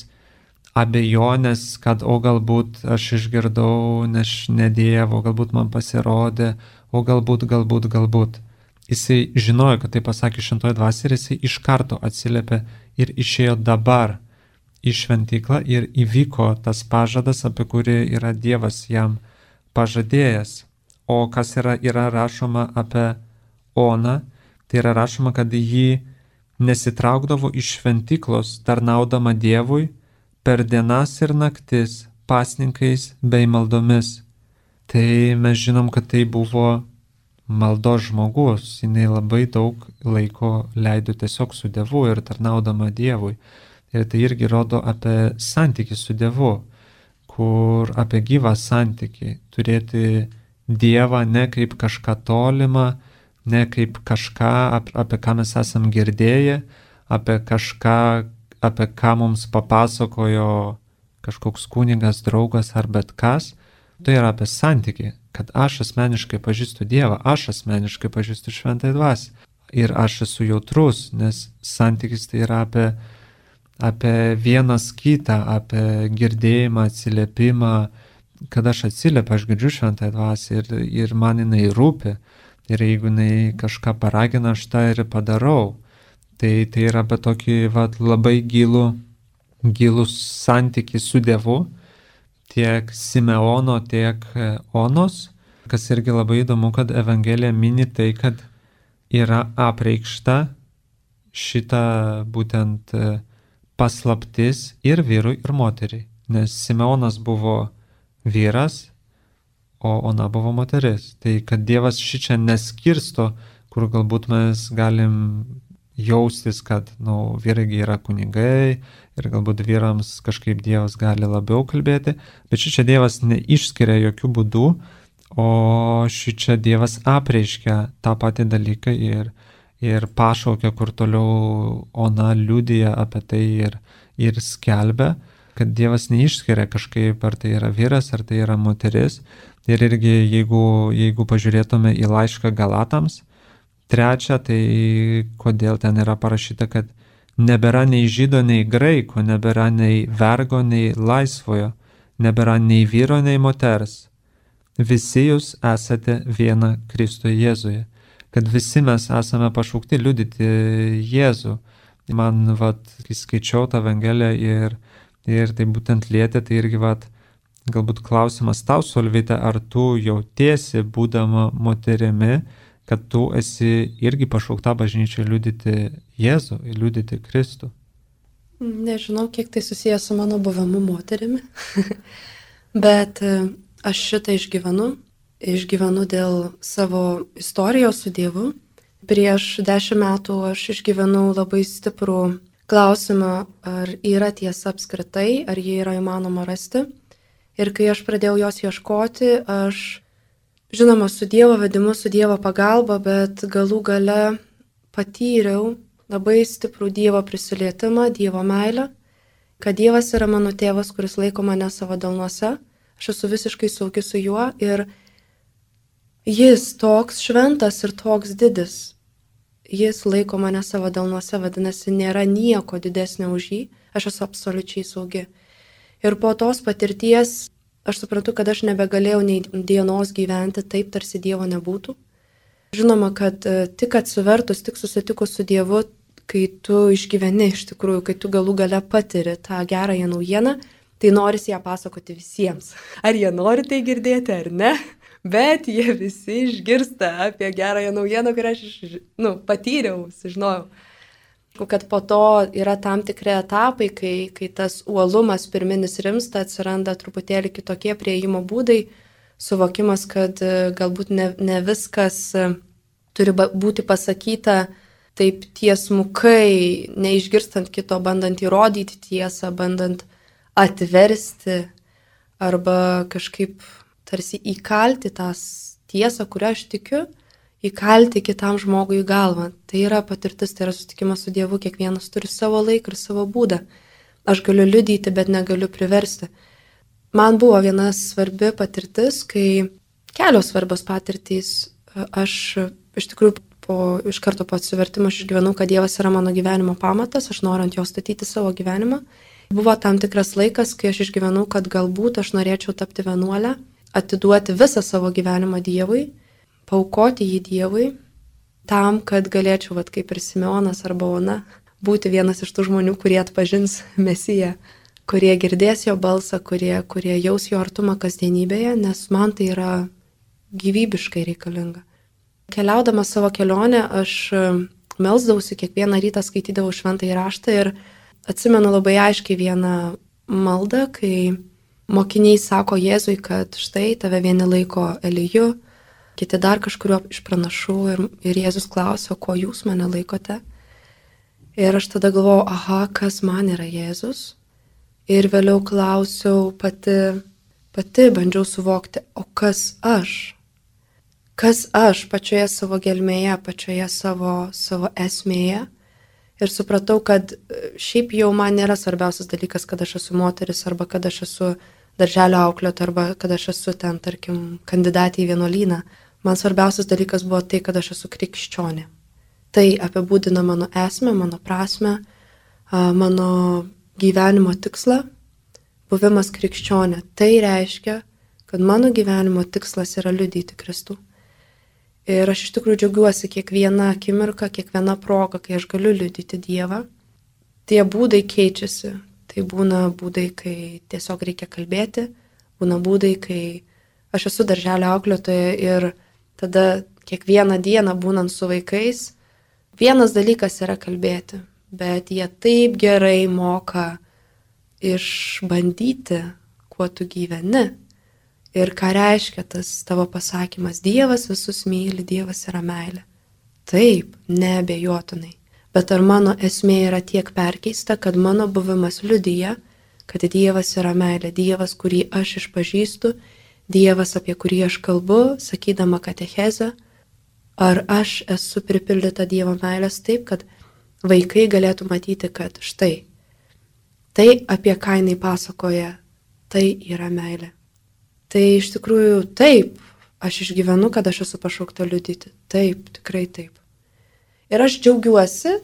abejonės, kad o galbūt aš išgirdau, nes ne Dievo, galbūt man pasirodė, o galbūt, galbūt, galbūt. Jisai žinojo, kad tai pasakė šventoji dvasia ir jisai iš karto atsiliepė ir išėjo dabar į šventyklą ir įvyko tas pažadas, apie kurį yra Dievas jam pažadėjęs. O kas yra, yra rašoma apie Oną, tai yra rašoma, kad ji nesitraukdavo iš šventyklos, tarnaudama Dievui per dienas ir naktis, pasninkais bei maldomis. Tai mes žinom, kad tai buvo maldos žmogus, jinai labai daug laiko leido tiesiog su Dievu ir tarnaudama Dievui. Ir tai irgi rodo apie santykį su Dievu, kur apie gyvą santykį, turėti Dievą ne kaip kažką tolimą, ne kaip kažką, apie ką mes esam girdėję, apie kažką, apie ką mums papasakojo kažkoks kunigas, draugas ar bet kas. Tai yra apie santykį, kad aš asmeniškai pažįstu Dievą, aš asmeniškai pažįstu šventąją dvasią. Ir aš esu jautrus, nes santykis tai yra apie, apie vienas kitą, apie girdėjimą, atsiliepimą. Kad aš atsiliepiu, aš girdžiu šventąją dvasią ir, ir man jinai rūpi. Ir jeigu jinai kažką paragina, aš tą ir padarau. Tai, tai yra apie tokį vat, labai gilų, gilų santykį su Dievu, tiek Simeono, tiek Onos. Kas irgi labai įdomu, kad Evangelija mini tai, kad yra apreikšta šita būtent paslaptis ir vyrui, ir moteriai. Nes Simeonas buvo vyras, o Ona buvo moteris. Tai kad Dievas šičia neskirsto, kur galbūt mes galim jaustis, kad nu, vyrai yra kunigai ir galbūt vyrams kažkaip Dievas gali labiau kalbėti, bet šičia Dievas neišskiria jokių būdų, o šičia Dievas apreiškia tą patį dalyką ir, ir pašaukia, kur toliau Ona liudija apie tai ir, ir skelbia, kad Dievas neišskiria kažkaip, ar tai yra vyras, ar tai yra moteris. Ir irgi, jeigu, jeigu pažiūrėtume į laišką Galatams, trečia, tai kodėl ten yra parašyta, kad nebėra nei žydo, nei graiko, nebėra nei vergo, nei laisvojo, nebėra nei vyro, nei moters. Visi jūs esate viena Kristuje Jėzuje. Kad visi mes esame pašaukti liudyti Jėzų. Man, vat, kai skaičiau tą Evangeliją ir, ir tai būtent lietė, tai irgi, vat, galbūt klausimas tau, Solvita, ar tu jautiesi, būdama moterimi, kad tu esi irgi pašaukta bažnyčiai liudyti Jėzų, liudyti Kristų? Nežinau, kiek tai susijęs su mano buvimu moterimi, bet aš šitą išgyvenu. Išgyvenu dėl savo istorijos su Dievu. Prieš dešimt metų aš išgyvenau labai stiprų klausimą, ar yra tiesa apskritai, ar jį yra įmanoma rasti. Ir kai aš pradėjau jos ieškoti, aš, žinoma, su Dievo vedimu, su Dievo pagalba, bet galų gale patyriau labai stiprų Dievo prisilietimą, Dievo meilę, kad Dievas yra mano tėvas, kuris laiko mane savo delnuose. Aš esu visiškai saugi su juo ir Jis toks šventas ir toks didis. Jis laiko mane savo delnuose, vadinasi, nėra nieko didesnio už jį. Aš esu absoliučiai saugi. Ir po tos patirties aš suprantu, kad aš nebegalėjau nei dienos gyventi taip, tarsi Dievo nebūtų. Žinoma, kad tik atsivertus, tik susitikus su Dievu, kai tu išgyveni iš tikrųjų, kai tu galų gale patiri tą gerąją naujieną, tai norisi ją pasakoti visiems. Ar jie nori tai girdėti, ar ne? Bet jie visi išgirsta apie gerąją naujieną, kurią aš nu, patyriau, sužinojau. Kad po to yra tam tikri etapai, kai, kai tas uolumas pirminis rimsta, atsiranda truputėlį kitokie prieimo būdai, suvokimas, kad galbūt ne, ne viskas turi būti pasakyta taip tiesmukai, neišgirstant kito, bandant įrodyti tiesą, bandant atversti arba kažkaip tarsi įkalti tą tiesą, kurią aš tikiu, įkalti kitam žmogui į galvą. Tai yra patirtis, tai yra susitikimas su Dievu, kiekvienas turi savo laiką ir savo būdą. Aš galiu liudyti, bet negaliu priversti. Man buvo viena svarbi patirtis, kai kelios svarbios patirtys. Aš iš tikrųjų po, iš karto po atsivertimo aš išgyvenau, kad Dievas yra mano gyvenimo pamatas, aš noriu ant jo statyti savo gyvenimą. Buvo tam tikras laikas, kai aš išgyvenau, kad galbūt aš norėčiau tapti vienuolę, atiduoti visą savo gyvenimą Dievui, paaukoti jį Dievui, tam, kad galėčiau, vat, kaip ir Simeonas arba Ona, būti vienas iš tų žmonių, kurie atpažins Mesiją, kurie girdės jo balsą, kurie, kurie jaus jo artumą kasdienybėje, nes man tai yra gyvybiškai reikalinga. Keliaudama savo kelionę, aš melsdavausi, kiekvieną rytą skaitydavau šventąjį raštą ir atsimenu labai aiškiai vieną maldą, kai mokiniai sako Jėzui, kad štai tave vieni laiko Eliju, kiti dar kažkurio iš pranašų ir, ir Jėzus klausia, ko jūs mane laikote. Ir aš tada galvojau, aha, kas man yra Jėzus. Ir vėliau klausiau pati, pati bandžiau suvokti, o kas aš? Kas aš pačioje savo gelmėje, pačioje savo, savo esmėje? Ir supratau, kad šiaip jau man nėra svarbiausias dalykas, kad aš esu moteris arba kad aš esu darželio auklėtoja arba kad aš esu ten, tarkim, kandidatė į vienuolyną. Man svarbiausias dalykas buvo tai, kad aš esu krikščionė. Tai apibūdina mano esmę, mano prasmę, mano gyvenimo tikslą, buvimas krikščionė. Tai reiškia, kad mano gyvenimo tikslas yra liudyti Kristų. Ir aš iš tikrųjų džiaugiuosi kiekvieną akimirką, kiekvieną progą, kai aš galiu liudyti Dievą. Tie būdai keičiasi. Tai būna būdai, kai tiesiog reikia kalbėti, būna būdai, kai aš esu darželio auklėtoja ir tada kiekvieną dieną būnant su vaikais, vienas dalykas yra kalbėti, bet jie taip gerai moka išbandyti, kuo tu gyveni ir ką reiškia tas tavo pasakymas, Dievas visus myli, Dievas yra meilė. Taip, neabejotinai. Bet ar mano esmė yra tiek perkeista, kad mano buvimas liudija, kad Dievas yra meilė, Dievas, kurį aš išpažįstu, Dievas, apie kurį aš kalbu, sakydama katechezę, ar aš esu pripildyta Dievo meilės taip, kad vaikai galėtų matyti, kad štai, tai apie ką jinai pasakoja, tai yra meilė. Tai iš tikrųjų taip, aš išgyvenu, kad aš esu pašaukta liudyti. Taip, tikrai taip. Ir aš džiaugiuosi,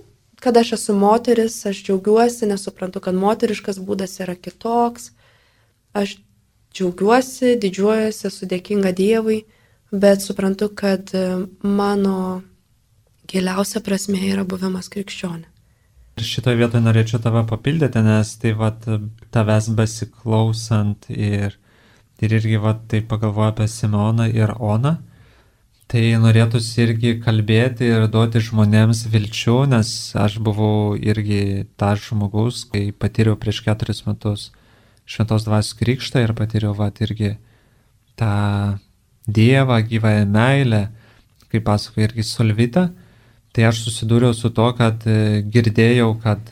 kad aš esu moteris, aš džiaugiuosi, nes suprantu, kad moteriškas būdas yra kitoks. Aš džiaugiuosi, didžiuojuosi, esu dėkinga Dievui, bet suprantu, kad mano giliausia prasmė yra buvimas krikščionė. Ir šitoje vietoje norėčiau tave papildyti, nes tai vat, tavęs besiklausant ir, ir irgi vat, tai pagalvoju apie Simeoną ir Oną, tai norėtųsi irgi kalbėti ir duoti žmonėms vilčių, nes aš buvau irgi tas žmogus, kai patyriau prieš keturis metus Šventos Dvasios krikštą ir patyriau vat, irgi tą Dievą, gyvąją meilę, kaip pasakoja irgi Solvita. Tai aš susidūriau su to, kad girdėjau, kad,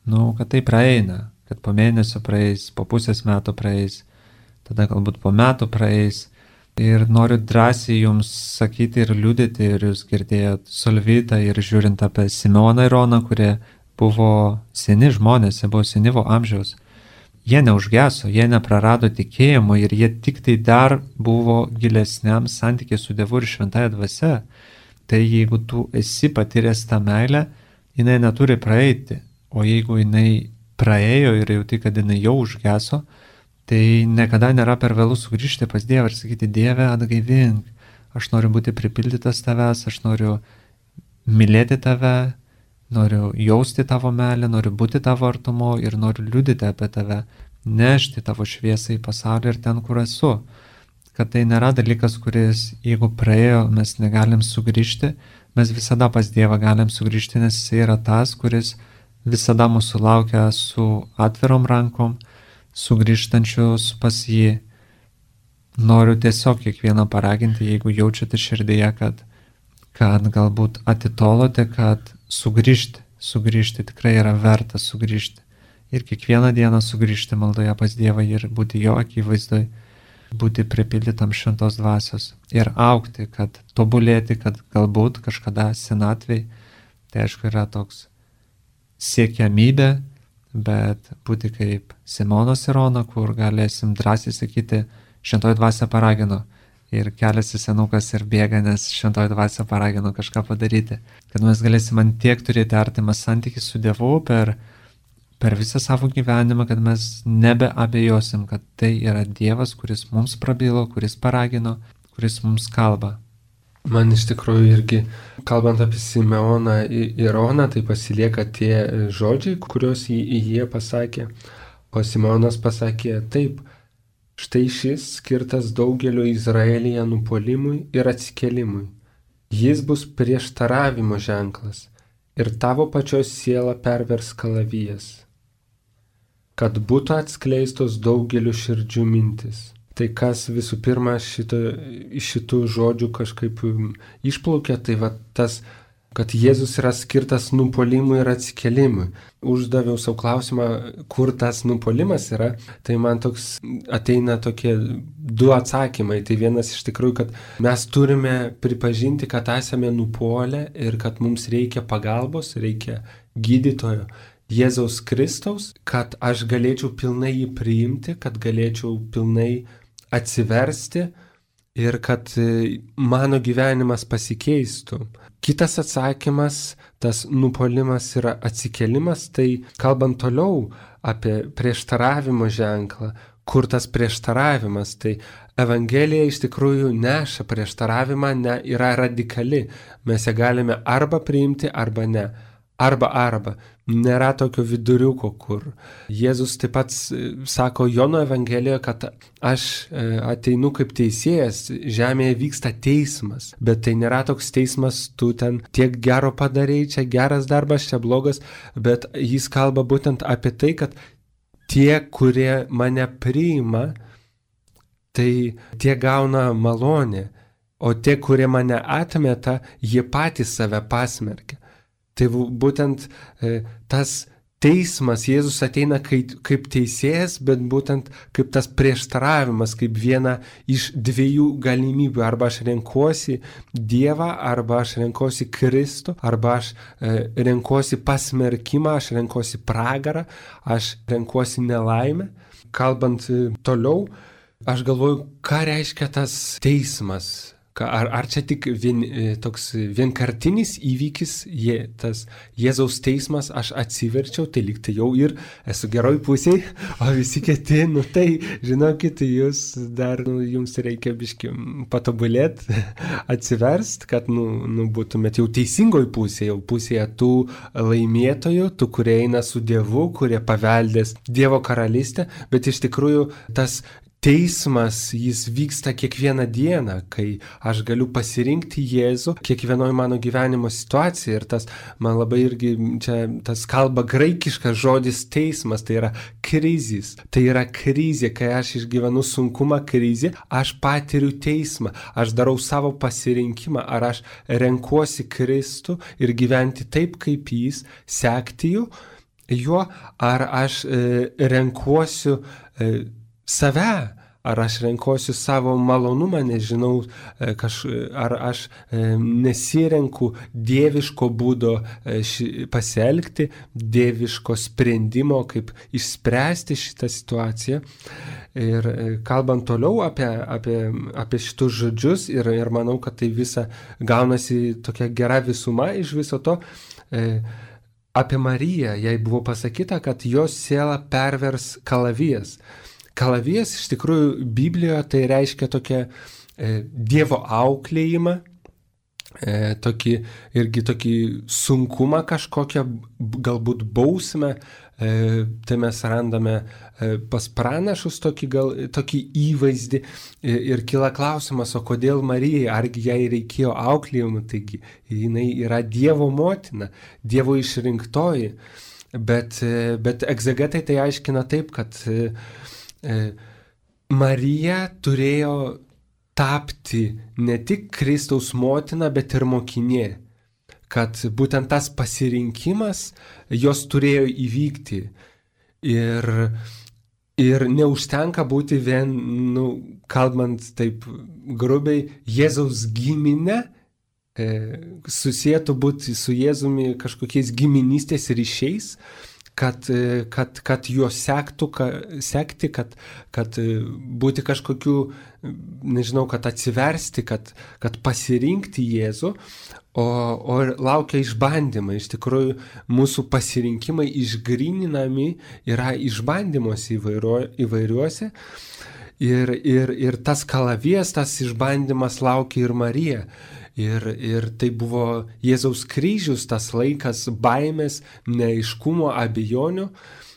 nu, kad tai praeina, kad po mėnesio praeis, po pusės metų praeis, tada galbūt po metų praeis. Ir noriu drąsiai jums sakyti ir liudyti, ir jūs girdėjot Solvitą ir žiūrint apie Simeoną ir Oną, kurie buvo seni žmonės, jie buvo senyvo amžiaus. Jie neužgeso, jie neprarado tikėjimo ir jie tik tai dar buvo gilesniam santykiai su Dievu ir šventąja dvasia. Tai jeigu tu esi patyręs tą meilę, jinai neturi praeiti. O jeigu jinai praėjo ir jauti, kad jinai jau užgeso, tai niekada nėra per vėlų sugrįžti pas Dievą ir sakyti, Dieve, atgaivink, aš noriu būti pripildytas tavęs, aš noriu mylėti tave, noriu jausti tavo meilę, noriu būti tavo artumo ir noriu liudyti apie tave, nešti tavo šviesą į pasaulį ir ten, kur esu. Kad tai nėra dalykas, kuris, jeigu praėjo, mes negalim sugrįžti, mes visada pas Dievą galim sugrįžti, nes jis yra tas, kuris visada mūsų laukia su atvirom rankom, sugrįžtančius pas jį. Noriu tiesiog kiekvieną paraginti, jeigu jaučiate širdyje, kad, kad galbūt atitolote, kad sugrįžti, sugrįžti tikrai yra verta sugrįžti. Ir kiekvieną dieną sugrįžti maldoje pas Dievą ir būti jo akivaizdoj, būti pripildytam šventos dvasios ir augti, kad tobulėti, kad galbūt kažkada senatvėj, tai aišku yra toks siekiamybė, bet būti kaip Simonas ir Ona, kur galėsim drąsiai sakyti, šventoji dvasia paragino ir keliasi senukas ir bėga, nes šventoji dvasia paragino kažką padaryti. Kad mes galėsim ant tiek turėti artimą santykį su Dievu per per visą savo gyvenimą, kad mes nebeabejosim, kad tai yra Dievas, kuris mums prabilo, kuris paragino, kuris mums kalba. Man iš tikrųjų irgi, kalbant apie Simeoną ir Oną, tai pasilieka tie žodžiai, kuriuos jie pasakė. O Simeonas pasakė taip, štai šis skirtas daugeliu Izraelyje nupuolimui ir atsikelimui. Jis bus prieštaravimo ženklas ir tavo pačios sielą pervers kalavijas, kad būtų atskleistos daugeliu širdžių mintis. Tai kas visų pirma šito, iš šitų žodžių kažkaip išplaukia, tai va tas, kad Jėzus yra skirtas nupuolimui ir atsikelimui. Uždaviau savo klausimą, kur tas nupuolimas yra, tai man toks ateina tokie du atsakymai. Tai vienas iš tikrųjų, kad mes turime pripažinti, kad esame nupuolę ir kad mums reikia pagalbos, reikia gydytojo. Jėzaus Kristaus, kad aš galėčiau pilnai jį priimti, kad galėčiau pilnai atsiversti ir kad mano gyvenimas pasikeistų. Kitas atsakymas, tas nupuolimas yra atsikelimas, tai kalbant toliau apie prieštaravimo ženklą, kur tas prieštaravimas, tai Evangelija iš tikrųjų neša prieštaravimą, ne, yra radikali. Mes ją galime arba priimti, arba ne. Arba arba. Nėra tokio viduriuko, kur. Jėzus taip pat sako Jono Evangelijoje, kad aš ateinu kaip teisėjas, žemėje vyksta teismas, bet tai nėra toks teismas, tu ten tiek gero padarei, čia geras darbas, čia blogas, bet jis kalba būtent apie tai, kad tie, kurie mane priima, tai tie gauna malonę, o tie, kurie mane atmeta, jie patys save pasmerkia. Tai būtent e, tas teismas, Jėzus ateina kaip, kaip teisėjas, bet būtent kaip tas prieštaravimas, kaip viena iš dviejų galimybių. Arba aš renkuosi Dievą, arba aš renkuosi Kristų, arba aš e, renkuosi pasmerkimą, aš renkuosi pragarą, aš renkuosi nelaimę. Kalbant e, toliau, aš galvoju, ką reiškia tas teismas. Ar, ar čia tik vien, toks vienkartinis įvykis, je, tas Jėzaus teismas, aš atsiverčiau, tai lyg tai jau ir esu geroj pusėje, o visi kiti, nu tai, žinokit, jūs dar, nu, jums reikia biški patobulėti, atsiverst, kad, nu, nu, būtumėt jau teisingoj pusėje, jau pusėje tų laimėtojų, tų, kurie eina su Dievu, kurie paveldės Dievo karalystę, bet iš tikrųjų tas teismas, jis vyksta kiekvieną dieną, kai aš galiu pasirinkti Jėzų kiekvienoje mano gyvenimo situacijoje. Ir tas, man labai irgi čia tas kalba graikiškas žodis teismas, tai yra krizis. Tai yra krizė, kai aš išgyvenu sunkumą, krizė, aš patiriu teismą, aš darau savo pasirinkimą, ar aš renkuosi Kristų ir gyventi taip, kaip jis, sekti jų, juo, ar aš e, renkuosiu e, save, ar aš renkuosiu savo malonumą, nežinau, kaž, ar aš nesirenku dieviško būdo pasielgti, dieviško sprendimo, kaip išspręsti šitą situaciją. Ir kalbant toliau apie, apie, apie šitus žodžius, ir, ir manau, kad tai visa gaunasi tokia gera visuma iš viso to, apie Mariją, jai buvo pasakyta, kad jos sielą pervers kalavijas. Kalavijas iš tikrųjų Biblijoje tai reiškia tokią e, Dievo auklėjimą, e, tokį, irgi tokį sunkumą kažkokią, galbūt bausmę, e, tai mes randame e, pas pranašus tokį, gal, tokį įvaizdį e, ir kyla klausimas, o kodėl Marijai, argi jai reikėjo auklėjimų, taigi jinai yra Dievo motina, Dievo išrinktoji, bet, e, bet egzegetai tai aiškina taip, kad e, Marija turėjo tapti ne tik Kristaus motina, bet ir mokinė, kad būtent tas pasirinkimas jos turėjo įvykti ir, ir neužtenka būti vien, nu, kalbant taip grubiai, Jėzaus giminė, e, susietų būti su Jėzumi kažkokiais giminystės ryšiais, kad, kad, kad juos sektų, kad, sekti, kad, kad būti kažkokiu, nežinau, kad atsiversti, kad, kad pasirinkti Jėzų, o, o laukia išbandymai. Iš tikrųjų, mūsų pasirinkimai išgryninami yra išbandymuose įvairiuose. Ir, ir, ir tas kalavijas, tas išbandymas laukia ir Marija. Ir, ir tai buvo Jėzaus kryžius, tas laikas baimės, neaiškumo, abejonių,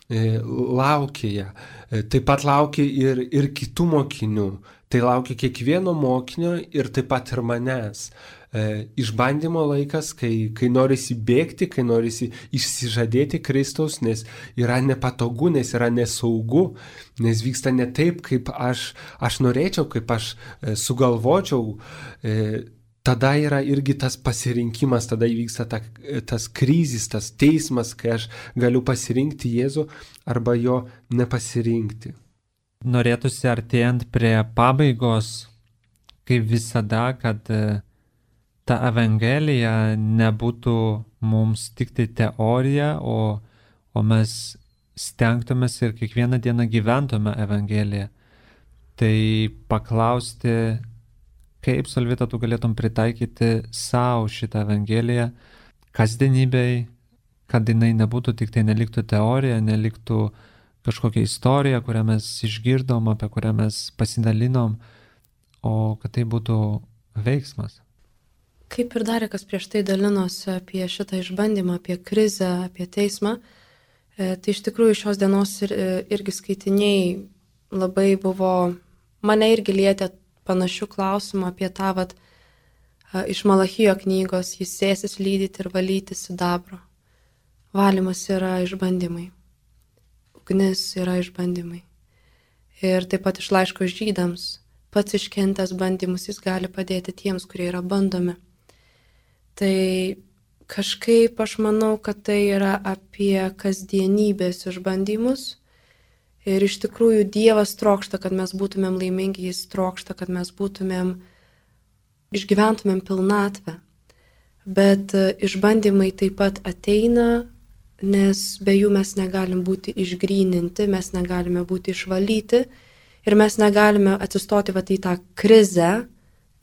e, laukia ją. E, taip pat laukia ir, ir kitų mokinių. Tai laukia kiekvieno mokinio ir taip pat ir manęs. E, išbandymo laikas, kai, kai norisi bėgti, kai norisi išsižadėti Kristaus, nes yra nepatogu, nes yra nesaugu, nes vyksta ne taip, kaip aš, aš norėčiau, kaip aš e, sugalvočiau. E, Tada yra irgi tas pasirinkimas, tada įvyksta ta, tas krizis, tas teismas, kai aš galiu pasirinkti Jėzų arba jo nepasirinkti. Norėtųsi artėjant prie pabaigos, kaip visada, kad ta Evangelija nebūtų mums tik tai teorija, o, o mes stengtumės ir kiekvieną dieną gyventume Evangeliją. Tai paklausti, kaip, Solvita, tu galėtum pritaikyti savo šitą Evangeliją kasdienybei, kad jinai nebūtų tik tai, neliktų teorija, neliktų kažkokia istorija, kurią mes išgirdom, apie kurią mes pasidalinom, o kad tai būtų veiksmas. Kaip ir Darekas prieš tai dalinosi apie šitą išbandymą, apie krizę, apie teismą, e, tai iš tikrųjų šios dienos ir, irgi skaitiniai labai buvo, mane irgi lietė panašių klausimų apie tą, vat, iš Malachijo knygos, jis sėsis lydyti ir valyti sidabro. Valymas yra išbandymai. Ugnis yra išbandymai. Ir taip pat iš laiško žydams, pats iškentęs bandymus, jis gali padėti tiems, kurie yra bandomi. Tai kažkaip aš manau, kad tai yra apie kasdienybės išbandymus. Ir iš tikrųjų Dievas trokšta, kad mes būtumėm laimingi, jis trokšta, kad mes būtumėm, išgyventumėm pilnatvę. Bet išbandymai taip pat ateina, nes be jų mes negalim būti išgryninti, mes negalime būti išvalyti ir mes negalime atsistoti vat į tą krizę,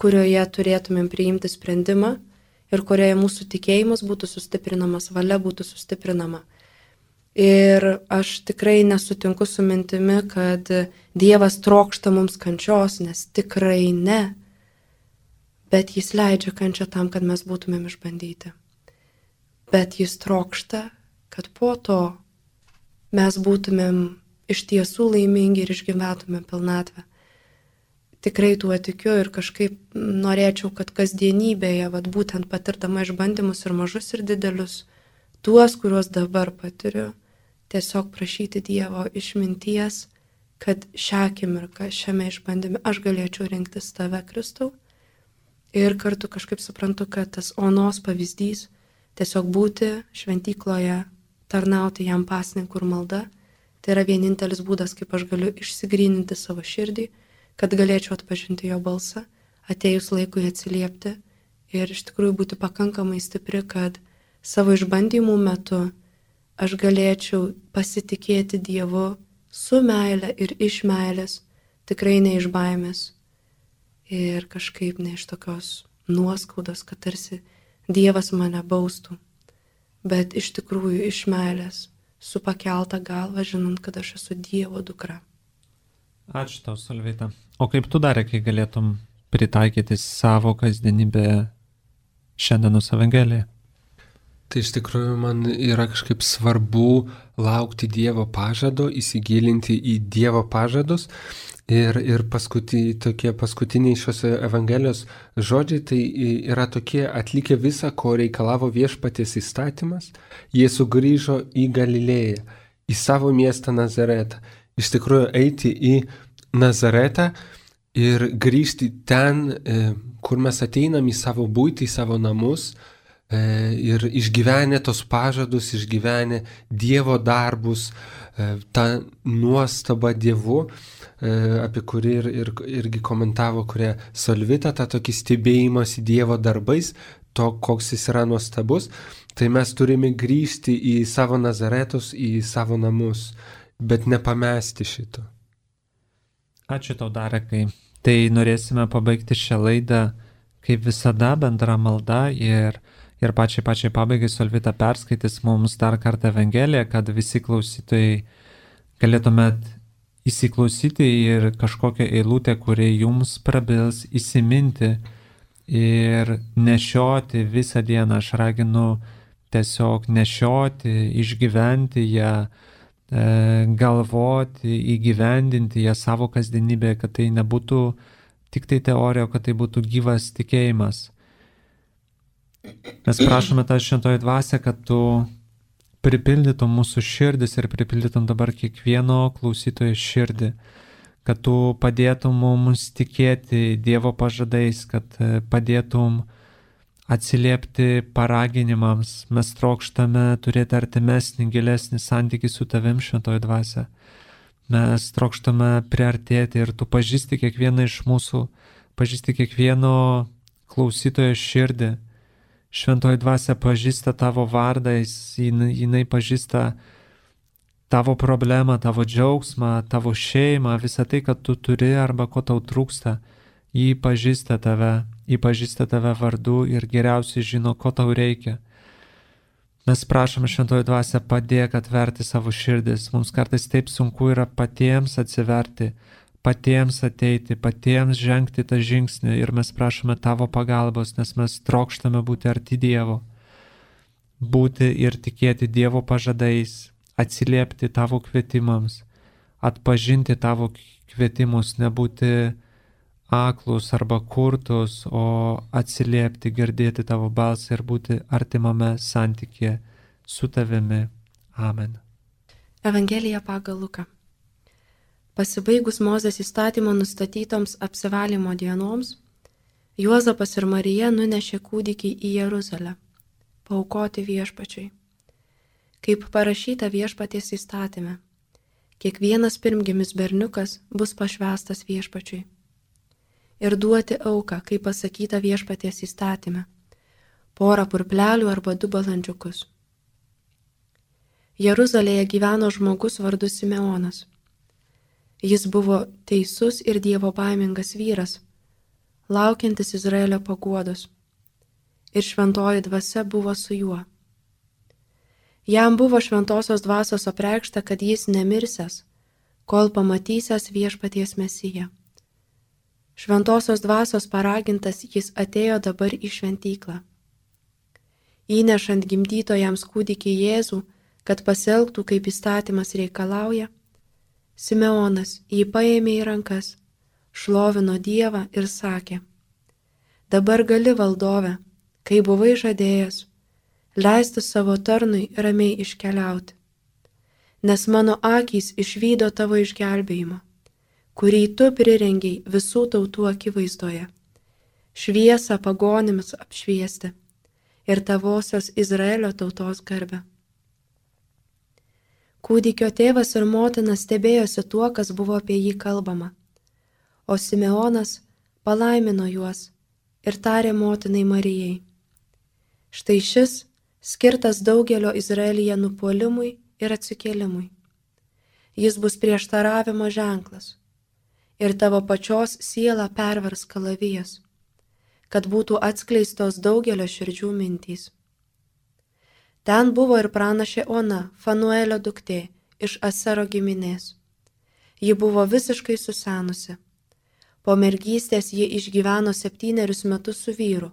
kurioje turėtumėm priimti sprendimą ir kurioje mūsų tikėjimas būtų sustiprinamas, valia būtų sustiprinama. Ir aš tikrai nesutinku su mintimi, kad Dievas trokšta mums kančios, nes tikrai ne, bet jis leidžia kančią tam, kad mes būtumėm išbandyti. Bet jis trokšta, kad po to mes būtumėm iš tiesų laimingi ir išgyventumėm pilnatvę. Tikrai tuo tikiu ir kažkaip norėčiau, kad kasdienybėje, vat būtent patirdama išbandymus ir mažus ir didelius, tuos, kuriuos dabar patiriu, tiesiog prašyti Dievo išminties, kad šią akimirką, šiame išbandyme aš galėčiau rinktis tave, Kristau. Ir kartu kažkaip suprantu, kad tas onos pavyzdys, tiesiog būti šventykloje, tarnauti jam pasninkų ir malda, tai yra vienintelis būdas, kaip aš galiu išsigryninti savo širdį, kad galėčiau atpažinti jo balsą, atėjus laikui atsiliepti ir iš tikrųjų būti pakankamai stipri, kad savo išbandymų metu aš galėčiau pasitikėti Dievu su meile ir iš meilės, tikrai ne iš baimės ir kažkaip ne iš tokios nuoskaudos, kad tarsi Dievas mane baustų, bet iš tikrųjų iš meilės, su pakelta galva, žinant, kad aš esu Dievo dukra. Ačiū tau, Solveita. O kaip tu dar, kai galėtum pritaikyti savo kasdienybę šiandienos Evangeliją? Tai iš tikrųjų man yra kažkaip svarbu laukti Dievo pažado, įsigilinti į Dievo pažadus. Ir, ir paskuti, tokie paskutiniai šios Evangelijos žodžiai tai yra tokie: atlikę visą, ko reikalavo viešpaties įstatymas, jie sugrįžo į Galilėją, į savo miestą Nazaretą. Iš tikrųjų eiti į Nazaretą ir grįžti ten, kur mes ateinam į savo būtį, į savo namus ir išgyvenę tos pažadus, išgyvenę Dievo darbus, tą nuostabą Dievu, apie kurį ir, ir, irgi komentavo, kurie Solvita, tą tokį stebėjimąsi Dievo darbais, to, koks jis yra nuostabus, tai mes turime grįžti į savo Nazaretus, į savo namus, bet nepamesti šito. Ačiū tau, Darekai. Tai norėsime pabaigti šią laidą, kaip visada, bendra malda ir, ir pačiai pačiai pabaigai Solvita perskaitys mums dar kartą Evangeliją, kad visi klausytojai galėtumėt įsiklausyti ir kažkokią eilutę, kuri jums prabils, įsiminti ir nešioti visą dieną. Aš raginu tiesiog nešioti, išgyventi ją, galvoti, įgyvendinti ją savo kasdienybėje, kad tai nebūtų tik tai teorija, kad tai būtų gyvas tikėjimas. Mes prašome tą šventoji dvasia, kad tu pripildytum mūsų širdis ir pripildytum dabar kiekvieno klausytojo širdį, kad tu padėtum mums tikėti Dievo pažadais, kad padėtum atsiliepti paraginimams. Mes trokštame turėti artimesnį, gilesnį santykį su tavim, šventoji dvasia. Mes trokštame priartėti ir tu pažįsti kiekvieną iš mūsų, pažįsti kiekvieno klausytojo širdį. Šventoji dvasia pažįsta tavo vardą, jinai, jinai pažįsta tavo problemą, tavo džiaugsmą, tavo šeimą, visą tai, kad tu turi arba ko tau trūksta. Jį pažįsta tave, jį pažįsta tave vardu ir geriausiai žino, ko tau reikia. Mes prašome, šventoji dvasia, padėk atverti savo širdis. Mums kartais taip sunku yra patiems atsiverti, patiems ateiti, patiems žengti tą žingsnį ir mes prašome tavo pagalbos, nes mes trokštame būti arti Dievo, būti ir tikėti Dievo pažadais, atsiliepti tavo kvietimams, atpažinti tavo kvietimus, nebūti aklus arba kurtus, o atsiliepti, girdėti tavo balsą ir būti artimame santykėje su tavimi. Amen. Evangelija pagal Luką. Pasibaigus Mozės įstatymo nustatytoms apsivalymo dienoms, Juozapas ir Marija nunešė kūdikį į Jeruzalę, paaukoti viešpačiui. Kaip parašyta viešpaties įstatyme, kiekvienas pirmgimis berniukas bus pašvęstas viešpačiui. Ir duoti auką, kaip pasakyta viešpaties įstatyme, porą purplelių arba du balandžiukus. Jeruzalėje gyveno žmogus vardu Simeonas. Jis buvo teisus ir dievobaimingas vyras, laukiantis Izraelio paguodos. Ir šventoji dvasia buvo su juo. Jam buvo šventosios dvasios apreikšta, kad jis nemirsęs, kol pamatysęs viešpaties Mesiją. Šventosios dvasios paragintas jis atėjo dabar į šventyklą. Įnešant gimdytojams kūdikį Jėzų, kad pasielgtų kaip įstatymas reikalauja, Simeonas jį paėmė į rankas, šlovino Dievą ir sakė: Dabar gali, valdove, kai buvai žadėjęs, leisti savo tarnui ramiai iškeliauti, nes mano akys išvydo tavo išgelbėjimą, kurį tu prirengiai visų tautų akivaizdoje, šviesą pagonims apšviesti ir tavosios Izraelio tautos garbę. Kūdikio tėvas ir motina stebėjosi tuo, kas buvo apie jį kalbama, o Simeonas palaimino juos ir tarė motinai Marijai: Štai šis skirtas daugelio Izraelyje nupuolimui ir atsikėlimui. Jis bus prieštaravimo ženklas ir tavo pačios sielą pervers kalavijas, kad būtų atskleistos daugelio širdžių mintys. Ten buvo ir pranašė Ona, Fanuelio duktė, iš Asero giminės. Ji buvo visiškai susenusi. Po mergystės ji išgyveno septynerius metus su vyru,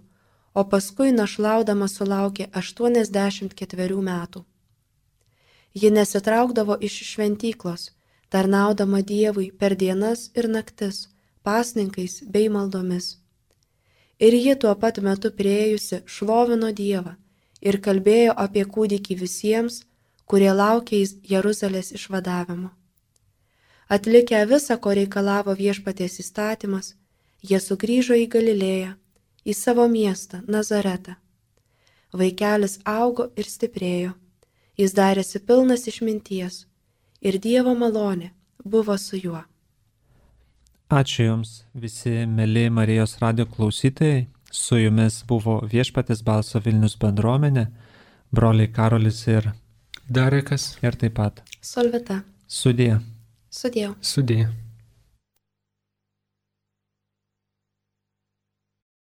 o paskui našlaudama sulaukė aštuoniasdešimt ketverių metų. Ji nesitraukdavo iš šventyklos, tarnaudama Dievui per dienas ir naktis, pasninkais bei maldomis. Ir ji tuo pat metu priėjusi šlovino Dievą ir kalbėjo apie kūdikį visiems, kurie laukė Jeruzalės išvadavimo. Atlikę visą, ko reikalavo viešpaties įstatymas, jie sugrįžo į Galilėją, į savo miestą, Nazaretą. Vaikelis augo ir stiprėjo, jis darėsi pilnas išminties ir Dievo malonė buvo su juo. Ačiū Jums, visi mėly Marijos radijo klausytojai. Su Jumis buvo Viešpaties balso Vilnius bendruomenė, broliai Karolis ir Darekas ir taip pat Solvita. Sudie. Sudie. Sudie.